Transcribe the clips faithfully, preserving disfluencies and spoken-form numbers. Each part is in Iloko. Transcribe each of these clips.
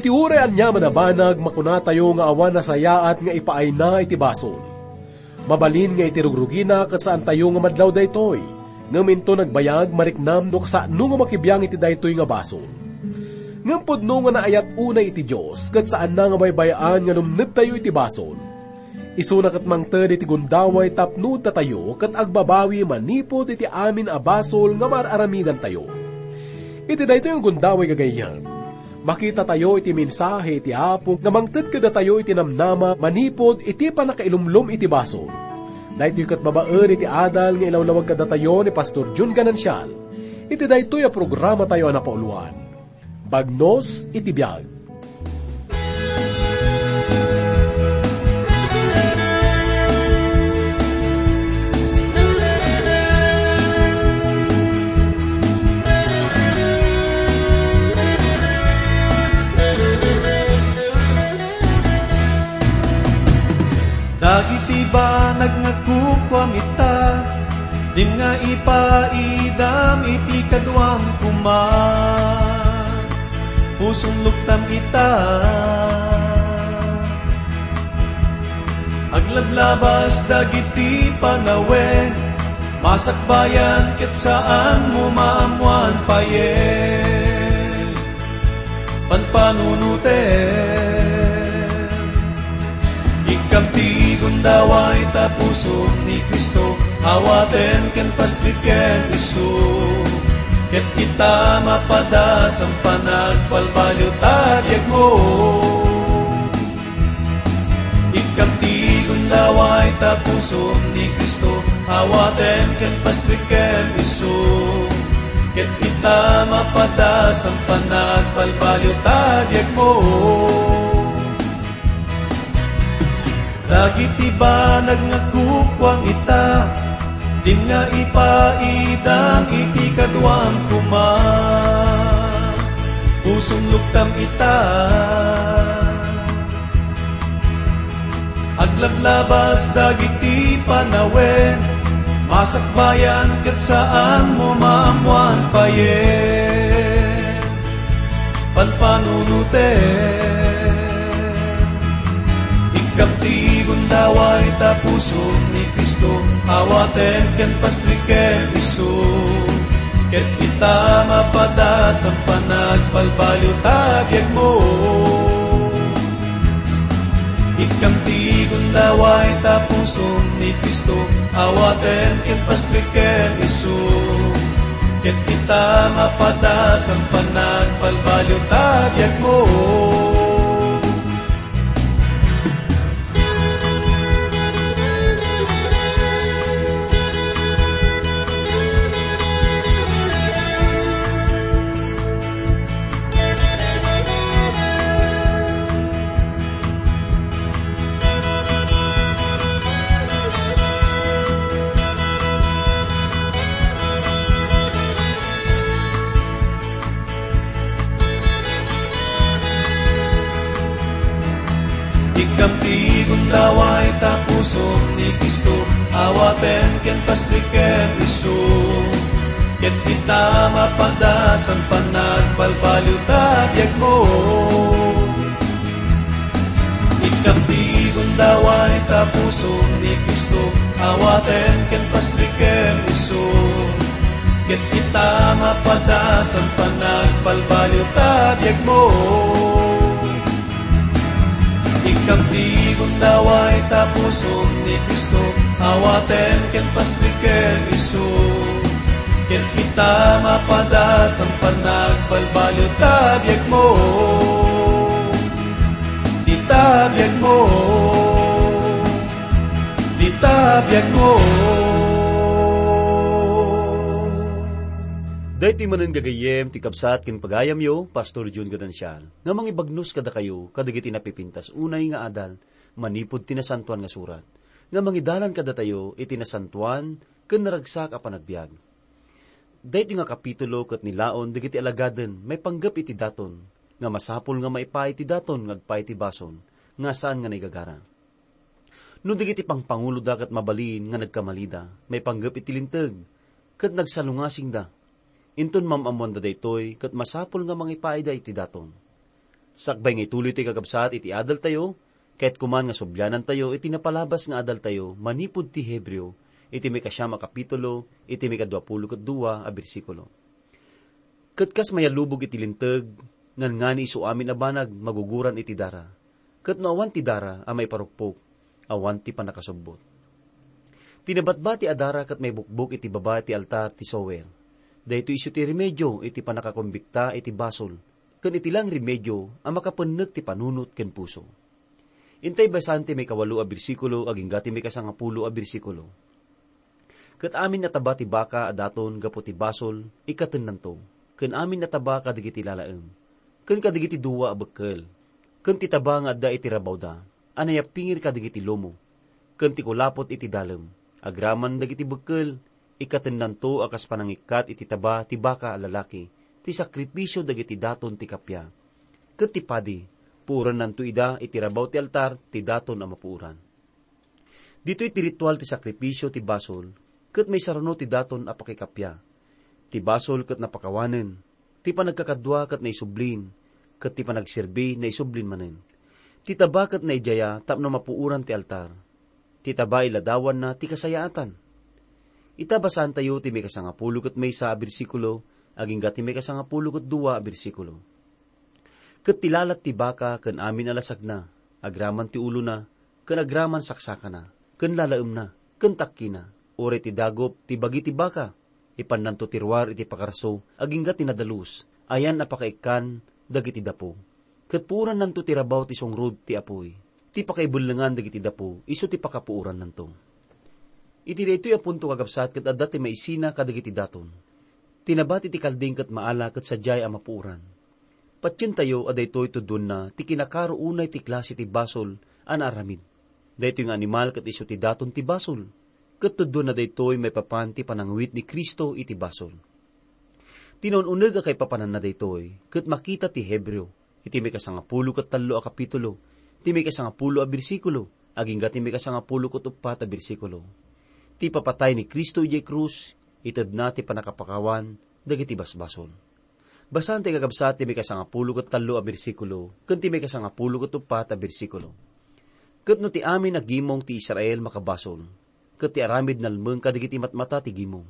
Ti uray aniaman a banag, makunatayo nga awan nasayaat nga ipaayna iti basol. Mabalin nga iti rugrugina ket saantayo nga madlaw daytoy, ngem inton agbayag, mariknam no kasano nga makibiang iti daytoy nga basol. Ngem pudno nga naayat unay iti Dios, ket saanna nga baybay-an nga lumnedtayo iti basol. Isuna ket mangted iti gundaway tapno datayo ket agbabawi manipud iti amin a basol nga maar-aramidantayo. Iti daytoy nga gundaway, gagayyem, makitatayo iti mensahe iti Apo nga mangted kadatayo iti namnama manipud iti pannakailumlom iti basol. Daytoy ket babaen iti adal nga ilawlawag kadatayo ni Pastor Jun Ganancial iti daytoy a programatayo a napauluan. Bagnos iti biag. Dagiti banag nga kukuam ita, dinga ipaidam iti kaduam koma. Pusom luktam ita. Aglablabas dagiti panawen, masakbayan ket saanmo maammoan payen. Panpanunotem. Ikkam ti gundaway ta pusom ni Cristo, awatem ken pastreken isu. Ket kita mapadas a panagbalbaliw ta biagmo. Ikkam ti gundaway ta pusom ni Cristo, awatem ken pastreken isu. Ket kita mapadas a panagbalbaliw ta biagmo. Dagiti banag nga kukuam ita, dinga ipaidam iti kaduam koma. Pusom luktam ita. Aglablabas dagiti panawen, masakbayan ket saanmo maammoan payen. Panpanunotem. Ikkam ti gundaway ta pusom ni Cristo, awatem ken pastreken isu. Ket kita mapadas a panagbalbaliw ta biagmo. Ikkam ti gundaway ta pusom ni Cristo, awatem ken pastreken isu. Ket kita mapadas a panagbalbaliw ta biagmo. Ikkam ti gundaway ta pusom ni Cristo, awatem ken pastreken isu. Ket kita mapadas a panagbalbaliw ta biagmo. Ikkam ti gundaway ta pusom ni Cristo, awatem ken pastreken isu. Ket kita mapadas a panagbalbaliw ta biagmo. Ikkam ti gundaway ta pusom ni Cristo, awatem ken pastreken isu. Ket kita mapadas a panagbalbaliw ta biagmo. Ita biagmo. Ita biagmo. Daytoy manen, gagayyem, ti kabsat ken pagayamyo, Pastor Jun Ganancial, nga mangibagnos kadakayo kadagiti napipintas unay nga adal manipud ti Nasantoan nga Surat, nga mangidalan kadatayo iti nasantoan ken naragsak a panagbiag. Daytoy nga kapitulo ket nilaon dagiti alagaden maipanggep iti daton, nga masapul nga maipaay ti daton nga agpaay ti basol, nga saan nga naigagara. No dagiti pangpanguloda ket mabalin nga nagkamalida maipanggep iti linteg, ket nagsalungasingda, inton maam-ammoanda daytoy, ket masapul nga mangipaayda iti daton. Sakbay nga ituloy ti kakabsat iti adaltayo, ket kuman nga sublianantayo iti napalabas nga adaltayo manipud ti Hebreo, iti maikasiam a kapitulo, iti maikadua pulo ket dua a bersikulo. Ket kas mayallubog iti linteg, ngangani isu amin a banag maguguran iti dara. Ket no awan ti dara a maiparukpok, awan ti pannakasubbot. Ti nabatbati a dara ket maibukbok iti baba ti altar ti sower. Daytoy isu ti remedio iti pannakakumbikta iti basol, ken iti laeng remedio a makapennek ti panunot ken puso. Intay basan ti maikawalo a bersikulo agingga ti maikasangapulo a bersikulo. Ket amin a taba ti baka a daton gapu ti basol, ikkatennanto, ken amin a taba kadagiti lalaem, ken kadagiti dua a bekkel, ken ti taba nga adda iti rabawda, a nayappingir kadagiti lomo, ken ti kulapot iti dalem, agraman dagiti bekkel, ikkatennanto a kas panangikkat iti taba ti baka a lalaki, ti sakripisio dagiti daton ti kappia, ket ti padi, puorannanto ida iti rabaw ti altar ti daton a mapuoran. Ditoy ti ritual ti sakripisio ti basol, ket maisarano ti daton a pakikappia. Ti basol ket napakawanen, ti panagkakadua ket naisublin, ket ti panagserbi naisublin manen. Ti taba ket naidiaya tapno mapuoran ti altar. Ti taba iladawanna ti kasayaatan. Ita basaantayo ti maikasangapulo ket maysa a bersikulo agingga ti maikasangapulo ket dua a bersikulo. Ket ti lalat ti baka ken amin a lasagna, agraman ti ulona, ken agraman saksakana, ken lalaemna, ken takkina, uray ti dagup ti bagi ti baka, ipannanto ti ruar iti pakarso agingga ti nadalus, ayan a pakaikkan dagiti dapo. Ket puorannanto ti rabaw ti sungrod ti apuy. Ti pakaibellengan dagiti dapo isu ti pakapuorannanto. Iti daytoy a punto, kakabsat, ket adda ti maisina kadagiti daton. Ti nabati ti kalding ket maala ket sadiay a mapuoran. Patientayo a daytoy tudonna ti kinakaro unay ti klase ti basol a naaramid. Daytoy nga animal ket isu ti daton ti basol, ket tudonna daytoy maipapan ti panangawit ni Cristo iti basol. Ti naun-uneg a kaipapananna daytoy ket makita ti Hebreo iti maikasangapulo ket tallo a kapitulo, ti maikasangapulo a bersikulo, agingga ti maikasangapulo ket uppat a bersikulo. Ti ipapatay ni Cristo idiay krus, itedna ti pannakapakawan dagiti basbasol. Basaen ti kakabsat ti maikasangapulo ket tallo a bersikulo ken ti maikasangapulo ket uppat a bersikulo. Ket no ti amin a gimong ti Israel makabasol, ket ti aramid nalmeng kadagiti matmata ti gimong,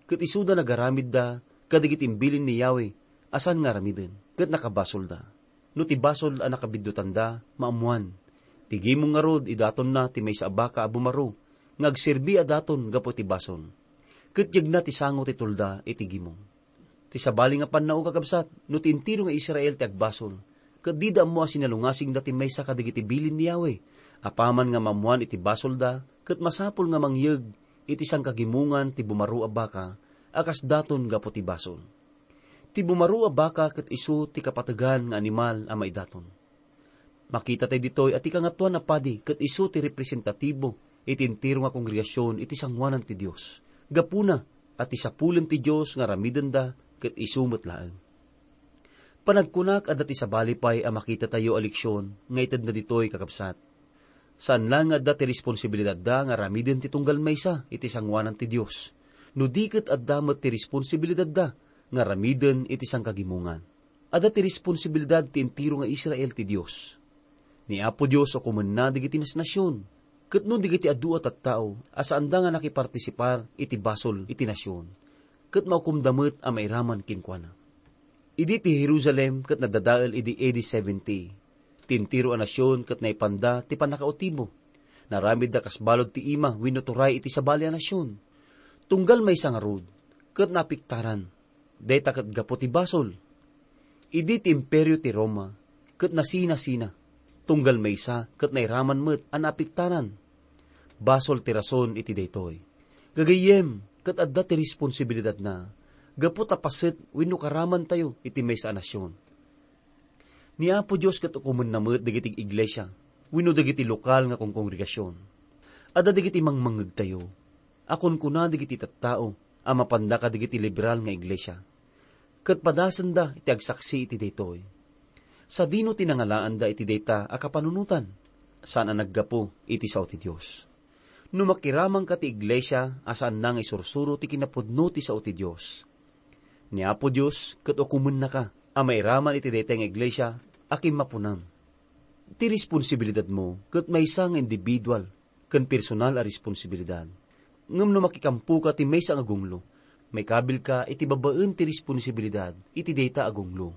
ket isuda nagaramidda kadagiti imbilin ni Yahweh a saan nga aramiden, ket nakabasolda. No ti basol a nakabiddutanda, maammoan. Ti gimong ngarud, idatonna ti maysa a baka a bumaro nga agserbi a daton gapu iti basol. Ket yegna ti sango ti tulda iti gimong. Ti sabali nga pannao, kakabsat, no ti entero nga Israel ti agbasol, ket dida ammo a sinalungasingda ti maysa kadagiti bilin ni Yahweh, apaman nga maammoan iti basolda, ket masapul nga mangyeg iti sangkagimongan ti bumaro a baka a kas daton gapu ti basol. Ti bumaro a baka ket isu ti kapategan nga animal a maidaton. Makita tayo ditoy a ti Kangatoan a Padi ket isu ti representatibo iti entero nga kongregasion iti sangoanan ti Dios. Gapuna a ti sapulen ti Dios nga aramidenda ket isu met laeng. Panagkunak, adda ti sabali pay a makita tayo a leksion nga itedna ditoy, kakabsat. Saan laeng nga adda ti responsibilidadda nga aramiden ti tunggal maysa iti sangoanan ti Dios, no di ket adda met ti responsibilidadda nga aramiden iti sangkagimongan. Adda ti responsibilidad ti entero nga Israel ti Dios. Ni Apo Dios ukomenna dagiti nasnasion, ket no dagiti adu a tattao a saanda nga nakipartisipar iti basol iti nasion, ket maukomda met a mairaman kenkuana. Idi ti Jerusalem ket nadadael idi A D seventy, ti entero a nasion ket naipanda ti pannakautibo. Naramidda kas balud ti ima wenno turay iti sabali a nasion. Tunggal maysa ngarud, ket naapektaran. Dayta ket gapu ti basol. Idi ti Imperio ti Roma ket nasinasina, tunggal maysa ket nairaman met a naapektaran. Basol ti rason iti daytoy. Gagayyem, ket adda ti responsibilidadna gapu ta paset wenno karamantayo iti maysa a nasion. Ni Apo Dios ket ukomenna met dagiti iglesia wenno dagiti lokal nga kongkongregasion. Adda dagiti mangmangngegtayo a kunkuna dagiti tattao a mapanda kadagiti liberal nga iglesia, ket padasenda iti agsaksi iti daytoy. Sadino ti nangalaanda iti dayta a kapanunotan? Saan a naggapu iti sao ti Dios. No makiramanka ti iglesia a saanna nga isursuro ti kinapudno ti sao ti Dios, ni Apo Dios ket ukomennaka a mairaman iti dayta nga iglesia a kimmapunam. Ti responsibilidadmo ket maysa nga individual ken personal a responsibilidad. Ngem no makikampoka ti maysa nga gunglo, maikabilka iti babaen ti responsibilidad iti dayta a gunglo.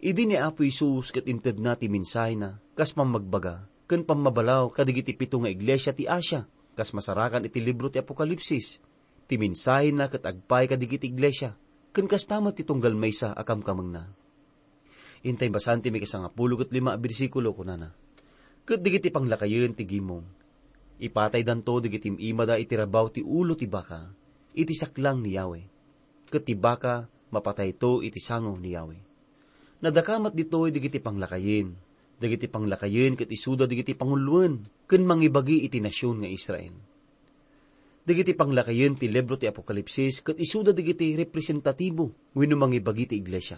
Idi ni Apo Jesus ket intedna ti mensahena kas pammagbaga ken pammabalaw kadagiti pito nga iglesia ti Asia, kas masarakan iti libro ti Apokalipsis, ti mensahena ket agpaay kadagiti iglesia, ken kasta met ti tunggal maysa a kamkamengna. Intay basaen ti maikasangapulo ket lima a bersikulo, kunana, "Ket dagiti panglakayen ti gimong, ipataydanto dagiti im-imada iti rabaw ti ulo ti baka, iti saklang ni Yahweh. Ket ti baka mapatayto iti sango ni Yahweh." Nadakamat ditoy dagiti panglakayen. Dagiti panglakayen ket isuda dagiti panguloen ken mangibagi iti nasion nga Israel. Dagiti panglakayen ti libro ti Apokalipsis ket isuda dagiti representatibo wenno mangibagi ti iglesia.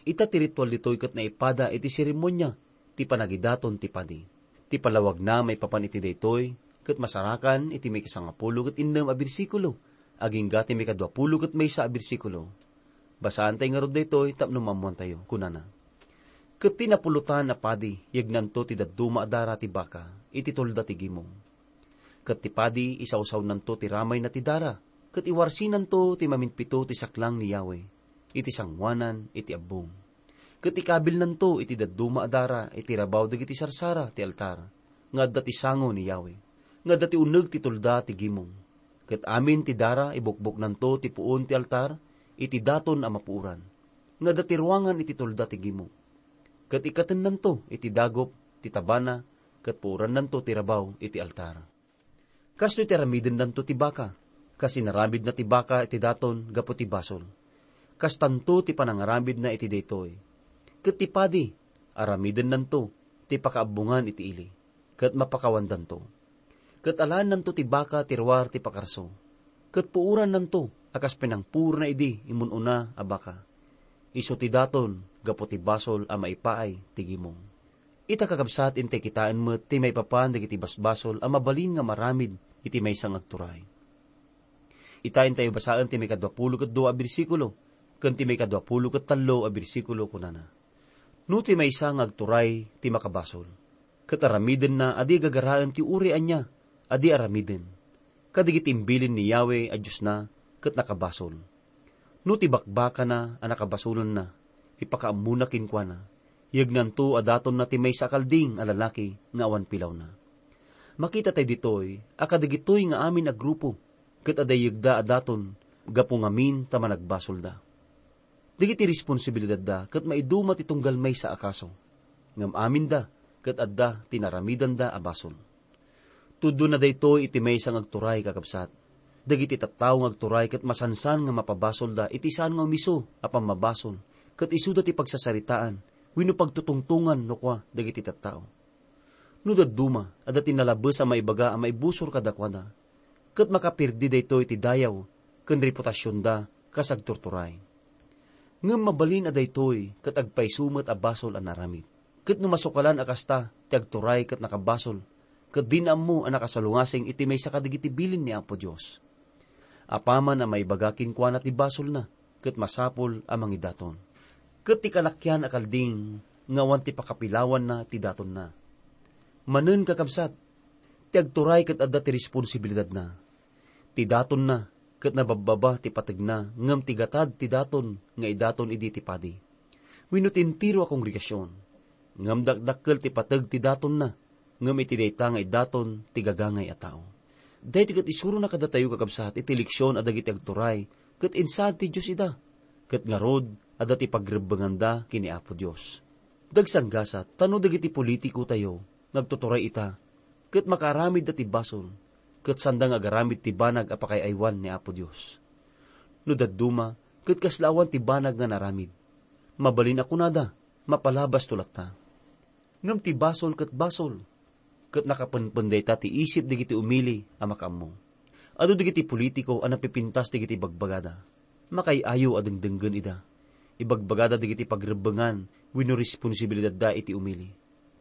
Ita ti ritual ditoy ket naipada iti seremonia ti panagidaton ti padi. Ti palawagna maipapan iti daytoy ket masarakan iti maikasangapulo ket innem a bersikulo agingga ti maikaduapulo ket maysa a bersikulo. Basaantay ngarud daytoy tapno maammoantayo. Kunana, "Ket ti napulotan a padi, yegnanto ti dadduma a dara ti baka iti tolda ti gimong. Ket ti padi, isawsawnanto ti ramayna ti dara, ket iwarsinanto ti maminpito ti saklang ni Yahweh iti sangoanan iti abbong. Ket ikabilnanto iti dadduma a dara iti rabaw dagiti sarsara ti altar nga adda ti sango ni Yahweh, nga adda ti uneg ti tolda ti gimong. Ket amin ti dara, ibukboknanto ti puon ti altar iti daton a mapuoran, nga adda ti ruangan iti tolda ti gimong. Ket ikkatennanto iti dagup ti tabana, ket puorannanto ti rabaw iti altar." Kastoy ti aramidennanto ti baka, kas inaramidna ti baka iti daton gapu ti basol. Kastanto ti panangaramidna iti daytoy. Ket ti padi, aramidennanto ti pakaabbongan iti ili, ket mapakawandanto. Ket alaennanto ti baka ti ruar ti pakarso, ket puorannanto a kas pinangpuorna idi imun-una a baka. Isu ti daton gapu ti basol a maipaay ti gimong. Ita, kakabsat, intay kitaen met ti maipapan dagiti basbasol a mabalin nga maramid iti maysa nga agturay. Ita, intayo basaen ti maikaduapulo ket dua a bersikulo ken ti maikaduapulo ket tallo a bersikulo, kunana, "No ti maysa nga agturay ti makabasol, ket aramidenna a di gagaraen ti uray ania a di aramiden, kadagiti imbilin ni Yahweh a Diosna ket nakabasol. No ti bakbakana a nakabasolenna, ipakaammona kenkuana, yegnanto a datonna ti maysa a kalding a lalaki nga awan pilawna." Makitatay ditoy a kadagitoy nga amin a grupo ket adda yegda a daton gapu ngamin ta managbasolda. Dagiti responsibilidadda ket maiduma ti tunggal maysa a kaso, ngem aminda ket adda ti naramidanda a basol. Tudonna daytoy iti maysa nga agturay, kakabsat. Dagiti tattao nga agturay ket masansan nga mapabasolda iti saan nga umiso a pammabasol, ket isuda ti pagsasaritaan wenno pagtutungtongan no kua dagiti tattao. No dadduma, adda ti nalabes a maibaga a maibusor kadakuada, ket makaperdi daytoy ti dayaw ken reputasionda kas agturturay. Ngem mabalin a daytoy ket agpayso met a basol a naramid. Ket no masukalan a kasta ti agturay ket nakabasol, ket dina ammo a nakasalungasing iti maysa kadagiti bilin ni Apo Dios. Apaman a maibaga kenkuana ti basolna, ket masapul a mangidaton. Ket ti kalakian a kalding nga awan ti pakapilawanna ti datonna. Manen, kakabsat, ti agturay ket adda ti responsibilidadna. Ti datonna ket nababbaba ti pategna, ngem ti gatad ti daton nga idaton idi ti padi wenno ti entero a kongregasion. Ngem dakdakkel ti pateg ti datonna, ngem iti dayta nga idaton ti gagangay a tao. Daytoy ket isurona kadatayo, kakabsat, iti leksion a dagiti agturay ket insaad ti Dios ida, ket ngarud, adda ti pagrebbenganda ken ni Apo Dios. Dagsanggasat, ta no dagiti politikotayo nga agtuturay ita, ket makaaramidda ti basol, ket sanda nga agaramid ti banag a pakaay-aywan ni Apo Dios. No dadduma, ket kasla awan ti banag nga naramid. Mabalin a kunada, "Mapalabasto latta." Ngem ti basol ket basol, ket nakapenpen dayta ti isip dagiti umili a makaammo. Adu dagiti politiko a napipintas dagiti ibagbagada. Makaay-ayo a dengdenggen ida. Ibagbagada dagiti pagrebbengan wenno responsibilidadda iti umili.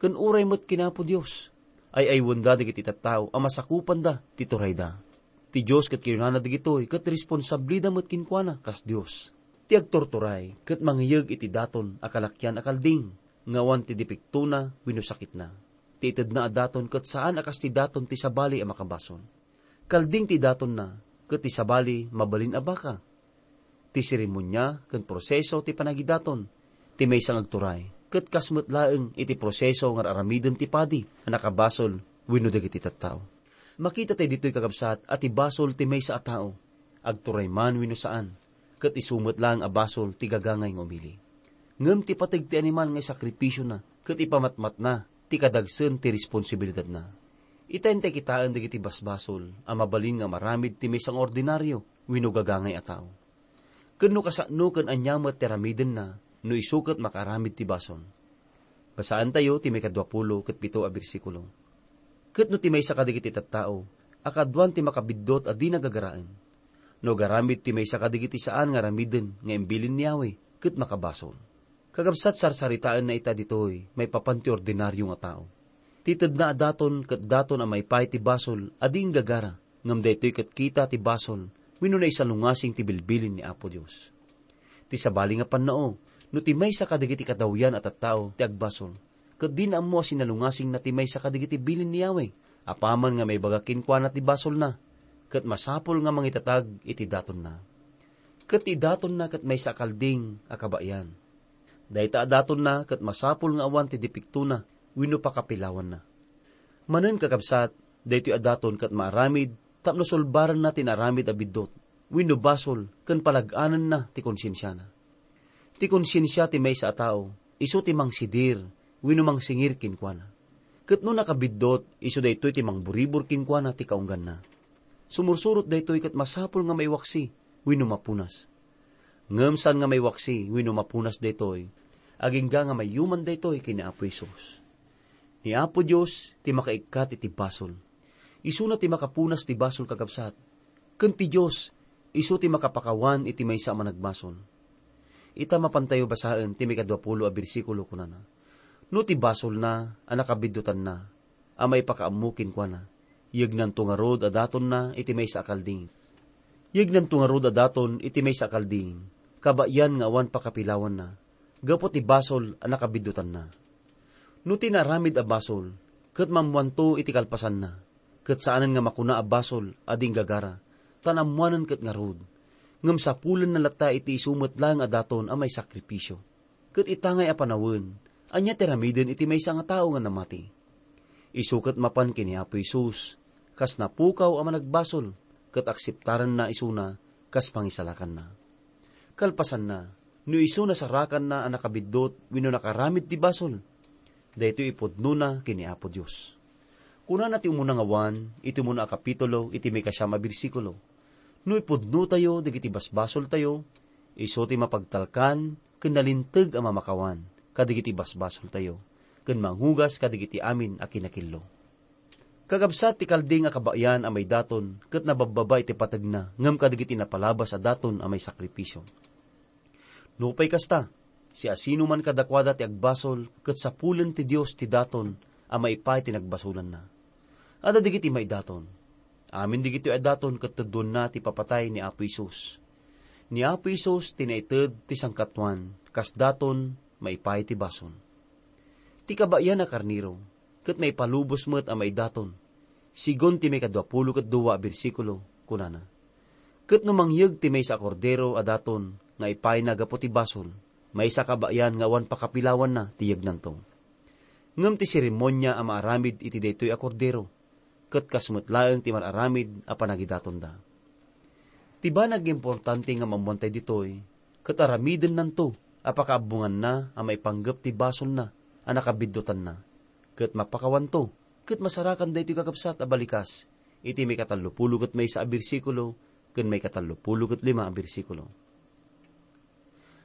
Ken uray met ken Apo Dios, ay-aywenda dagiti tattao a masakupanda ti turayda. Ti Dios ket kinunana dagitoy ket responsablida met kenkuana kas Dios. Ti agturturay ket mangiyeg iti daton a kalakian a kalding. nga awan ti depektona wenno sakitna. Ti itedna a daton ket saan a kas ti daton ti sabali a makabasol. Kalding ti datonna, ket ti sabali mabalin a baka. Ti seremonia ken proseso ti panagidaton ti maysa nga agturay, ket kas met laeng iti proseso nga ar-aramiden ti padi a nakabasol wenno dagiti tattao. Makita tayo ditoy, kakabsat, a ti basol ti maysa a tao, agturay man wenno saan, ket isu met laeng a basol ti gagangay nga umili. Ngem ti pateg ti animal nga isakripisiona ket ipamatmatna ti kadagsen ti responsibilidatna. Ita, intay kitaen dagiti basbasol a mabalin nga maramid ti maysa nga ordinario wenno gagangay a tao. Ken no kasano ken ania met ti aramidenna no isu ket makaaramid ti basol. Basaentayo ti maikadua pulo ket pito a bersikulo. Ket no ti maysa kadagiti tattao a kaduan ti makabiddut a dina gagaraen, no agaramid ti maysa kadagiti saan nga aramiden nga imbilin ni Yahweh, ket makabasol. Kakabsat, sarsaritaenna ita ditoy maipapan ti ordinario nga tao. Ti tedna a daton ket daton a maipaay ti basol a di inggagara, ngem daytoy ket kita ti basol wenno naisalungasing ti bilbilin ni Apo Dios. Ti sabali nga pannao, no ti maysa kadagiti kadawyan a tattao ti agbasol, ket dina ammo a sinalungasingna ti maysa kadagiti bilin ni Yahweh, apaman nga maibaga kenkuana ti basolna, ket masapul nga mangitatag iti datonna. Ket ti datonna ket maysa a kalding a kabayan. Dayta a datonna ket masapul nga awan ti depektona wenno pakapilawanna. Manen, kakabsat, daytoy a daton ket maaramid tapno sulbaranna ti naaramid a biddut wenno basol ken palag-anenna ti konsensiana. Ti konsensia ti maysa a tao isu ti mangsidir wenno mangsingir kenkuana. Ket no nakabiddut, isu daytoy ti mangburibor kenkuana ti kaungganna. Sumursurot daytoy ket masapul nga maiwaksi wenno mapunas. Ngem saan nga maiwaksi wenno mapunas daytoy, agingga nga mayuman daytoy ken ni Apo Jesus. Ni Apo Dios ti makaikkat iti basol. Isuna ti makapunas ti basol, kakabsat. Ken ti Dios, isu ti makapakawan iti maysa a managbasol. Ita, mapantayo basaen ti maikadua pulo a bersikulo, kunana, "No ti basolna a nakabiddutanna a maipakaammo kenkuana, yegnanto ngarud a datonna iti maysa a kalding. Yegnanto ngarud a daton iti maysa a kalding, kabayan nga awan pakapilawanna, gapu ti basol a nakabiddutanna." No ti naaramid a basol, ket maammoanto iti kalpasanna, ket saanen nga makuna a basol a di inggagara, ta naammoanen ket ngarud, ngem sapulenna latta iti isu met laeng a daton a maisakripisio. Ket ita ngay a panawen, ania ti aramiden iti maysa nga tao nga namati? Isu ket mapan ken ni Apo Jesus, kas napukaw a managbasol, ket akseptaranna isuna kas pangisalakanna. Kalpasanna, no isu nasarakanna a nakabiddut wenno nakaramid ti basol, daytoy ipudnona ken ni Apo Dios. Kunana ti umuna nga Juan iti umuna a kapitulo iti maikasiam a bersikulo, "No ipudnotayo dagiti basbasoltayo, isu ti mapagtalkan ken nalinteg a mamakawan kadagiti basbasoltayo, ken mangugas kadagiti amin a kinakillo." Kakabsat, ti kalding a kabayan a maidaton ket nababbaba iti pategna ngem kadagiti napalabas a daton a maisakripisio. Nupay kasta, siasinoman kadakuada ti agbasol ket sapulen ti Dios ti daton a maipaay ti nagbasolanna. Adda dagiti maidaton. Amin dagitoy a daton ket tudonna ti papatay ni Apo Jesus. Ni Apo Jesus ti naited ti sangkatuan kas daton maipaay ti basol. Ti kabayan a karnero ket maipalubos met a maidaton. Sigun ti maikadua pulo ket dua a bersikulo, kunana, "Ket no mangyeg ti maysa a kordero a daton nga ipayna gapu ti basol, maysa a kabayan nga awan pakapilawanna ti yegnanto. Ngem ti seremonia a maaramid iti daytoy a kordero, ket kas met laeng ti mar-aramid a panagidatonda." Ti banag nga importante nga maammoantay ditoy, ket aramidennanto a pakaabbonganna a maipanggep ti basolna a nakabiddutanna, ket mapakawanto, ket masarakan daytoy, kakabsat, a balikas iti maikatallopulo ket maysa a bersikulo ken maikatallopulo ket lima a bersikulo.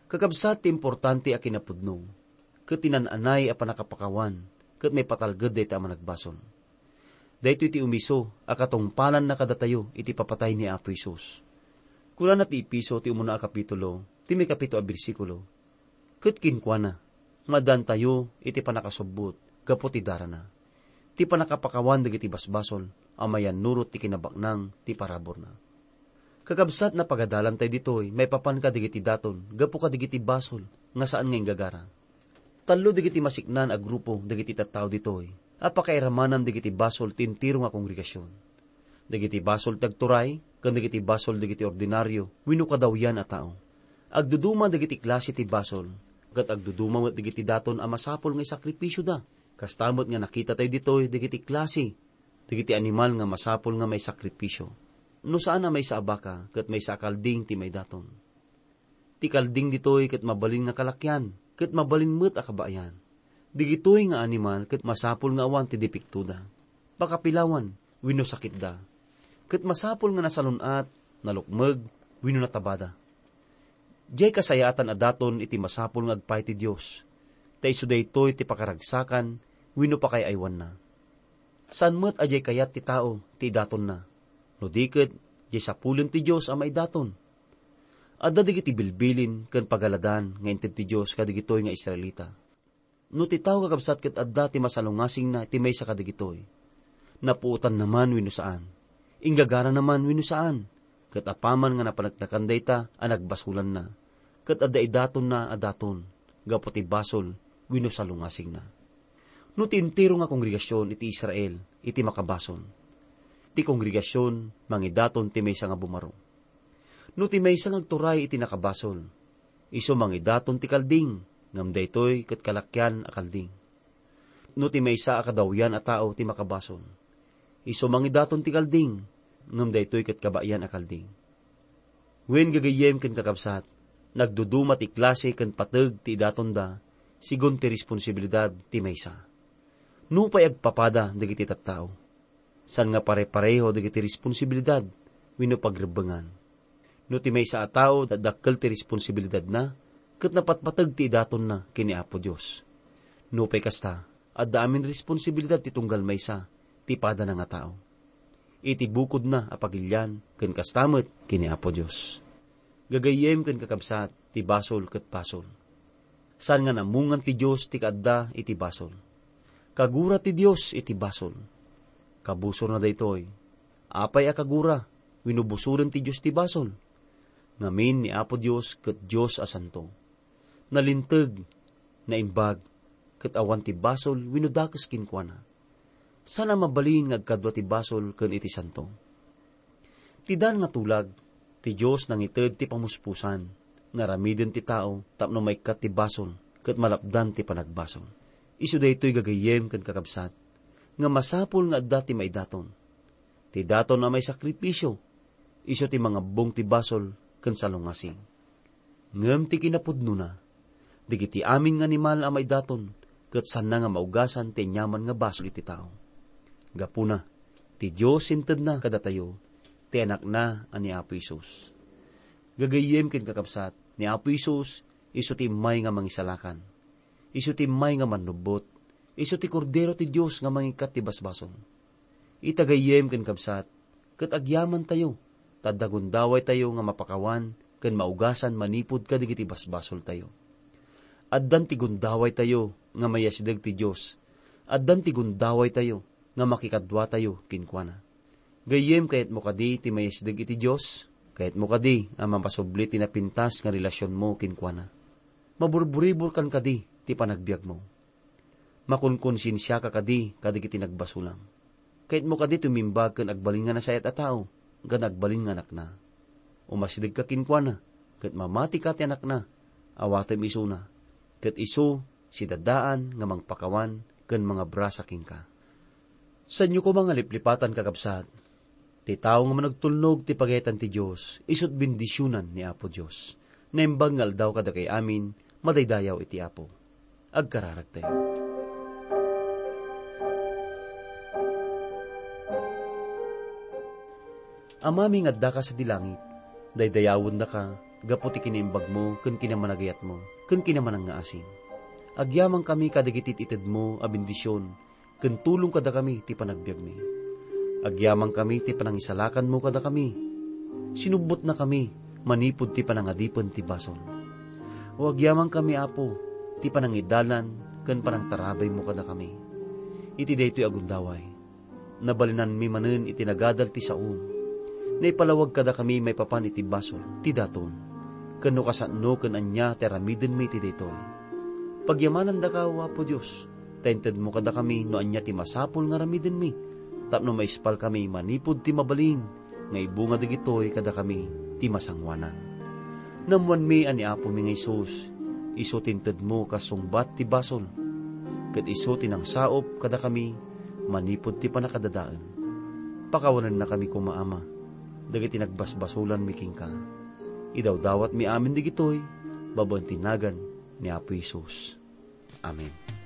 Kakabsat, ti importante a kinapudno ket ti naan-anay a pannakapakawan ket maipatalged dayta a managbasol. Daytoy ti umiso a katungpalanna kadatayo iti papatay ni Apo Jesus. Kunana ti Efeso ti umuna a kapitulo, ti maikapito a bersikulo, "Ket kenkuana, maadantayo iti pannakasubbot gapu ti darana, ti pannakapakawan dagiti basbasol a mayannurot ti kinabaknang ti paraburna." Kakabsat, napagadalantay ditoy maipapan kadagiti daton gapu kadagiti basol nga saan nga inggagara. Tallo dagiti masiknaan a grupo dagiti tattao ditoy a pakairamanan dagiti basol ti entero nga kongregasion. Dagiti basol ti agturay ken dagiti basol dagiti ordinario wenno kadawyan a tao. Agduduma dagiti klase ti basol, ket agduduma met dagiti daton a masapul nga isakripisioda. Kasta met nga nakitatayo ditoy dagiti klase dagiti animal nga masapul nga maisakripisio. No saan a maysa a baka ket maysa a kalding ti maidaton. Ti kalding ditoy ket mabalin nga kalakian, ket mabalin met a kabayan. Digitoy nga animal ket masapul nga awan ti depektoda, pakapilawan, wenno sakitda. Ket masapul nga nasalun-at, nalukmeg, wenno natabada. Diay kasayaatan a daton iti masapul nga agpay ti Dios, ta isu daytoy ti pakaragsakan wenno pakaay-aywanna. Saan met a diay kayat ti tao ti idatonna, no di ket diay sapulen ti Dios a maidaton. Adda dagiti bilbilin ken pagaladan nga inted ti Dios kadagitoy nga Israelita. No ti tao, kakabsat, ket adda ti masalungasingna iti maysa kadagitoy, napuotanna man wenno saan, inggagarana man wenno saan, ket apaman nga napaneknekan dayta a nagbasolanna, ket adda idatonna a daton gapu ti basol wenno salungasingna. No ti entero nga kongregasion iti Israel iti makabasol, ti kongregasion mangidaton ti maysa nga bumaro. No ti maysa nga agturay iti nakabasol, isu mangidaton ti kalding, ngem daytoy ket kalakian a kalding. No ti maysa a kadawyan a tao ti makabasol, isu mangidaton ti kalding, ngem daytoy ket kabayan a kalding. Wen, gagayyem ken kakabsat, nagduduma ti klase ken pateg ti idatonda, segun ti responsibilidad ti maysa. Nupay agpapada dagiti tattao, saan nga pare-pareho dagiti responsibilidad wenno pagrebbengan. No ti maysa a tao, dakdakkel ti responsibilidadna, ket napatpateg ti idatonna ken ni Apo Dios. Nupay kasta, adda amin responsibilidad ti tunggal maysa ti padana nga tao, iti bukodna a pagilian ken kasta met ken ni Apo Dios. Gagayyem ken kakabsat, ti basol ket basol. Saan nga namungan ti Dios ti kaadda iti basol. Kagura ti Dios iti basol. Kabusorna daytoy. Apay a kagura wenno busoren ti Dios ti basol? Ngamin ni Apo Dios ket Dios a santo. Nalinteg, naimbag, ket awan ti basol wenno dakes kenkuana. Saan a mabalin nga agkadua ti basol ken iti santo. Ti dan nga tulag, ti Dios nangited ti pamuspusan nga aramiden ti tao tapno maikkat ti basol ket malapdan ti panagbasol. Isu daytoy, gagayyem ken kakabsat, nga masapul nga adda ti maidaton. Ti daton a maisakripisio, isu ti mangabbong ti basol ken salungasing. Ngem ti kinapudnona, dagiti amin nga animal a maidaton ket saanna nga maugasan ti aniaman nga basol iti tao. Gapuna, ti Dios intedna kadatayo ti Anakna a ni Apo Jesus. Gagayyem ken kakabsat, ni Apo Jesus isu ti immay nga mangisalakan. Isu ti immay nga mannubbot. Isu ti Kordero ti Dios nga mangikkat ti basbasol. Ita, gayyem ken kabsat, ket agyamantayo, ta adda gundawaytayo nga mapakawan ken maugasan manipud kadagiti basbasoltayo. Addan ti gundawaytayo nga mayasideg ti Dios. Addan ti gundawaytayo nga makikaduatayo kenkuana. Gayyem, kayatmo kadi ti mayasideg iti Dios? Kayatmo kadi a mamasubli ti napintas nga relasionmo kenkuana? Maburburiburkan kadi ti panagbiagmo? Makunkonsensiaka kadi kadagiti nagbasolam? Kayatmo kadi tumimbag ken agbalin nga nasayaat a tao, ken agbalin nga anakna? Umasidegka kenkuana, ket mamatika ti anakna, awatem isuna, ket isu sidadaan nga mangpakawan ken mangabrasa kenka. Saanyo koma nga liplipatan, kakabsat. Ti tao nga managtulnog ti pagayatan ti Dios, isut' bendisionan ni Apo Dios. Naimbag nga aldaw kadakay amin, madaydayaw iti Apo. Agkararagtayo. Amami nga addaka sadi langit, daydayawendaka gapu ti kinaimbagmo ken kinamanagayatmo ken kinamanangngaasim. Agyamankami kadagiti itedmo a bendision ken tulong kadakami ti panagbiagmi. Agyamankami ti panangisalakanmo kadakami. Sinubbotnakami manipud ti panangadipen ti basol. O agyamankami, Apo, ti panangidalan ken panangtarabaymo kadakami. Iti daytoy a gundaway, nabalinanmi manen iti nagadal ti saom. Naipalawag kadakami maipapan iti basol ti daton, ken no kasano ken ania ti aramidenmi iti daytoy. Pagyamanandaka, O Apo Dios, ta intedmo kadakami no ania ti masapul nga aramidenmi, tapno maispalkami manipud ti mabalin nga ibunga dagitoy kadakami ti masangoanan. Naammoanmi a ni Apomi nga Jesus, isu ti intedmo kas sungbat ti basol, ket isu ti nangsaup kadakami manipud ti pannakadadael. Pakawanennakami koma, Ama, dagiti nagbasbasolanmi kenka. Idawdawatmi amin dagitoy babaen ti nagan ni Apo Jesus. Amen.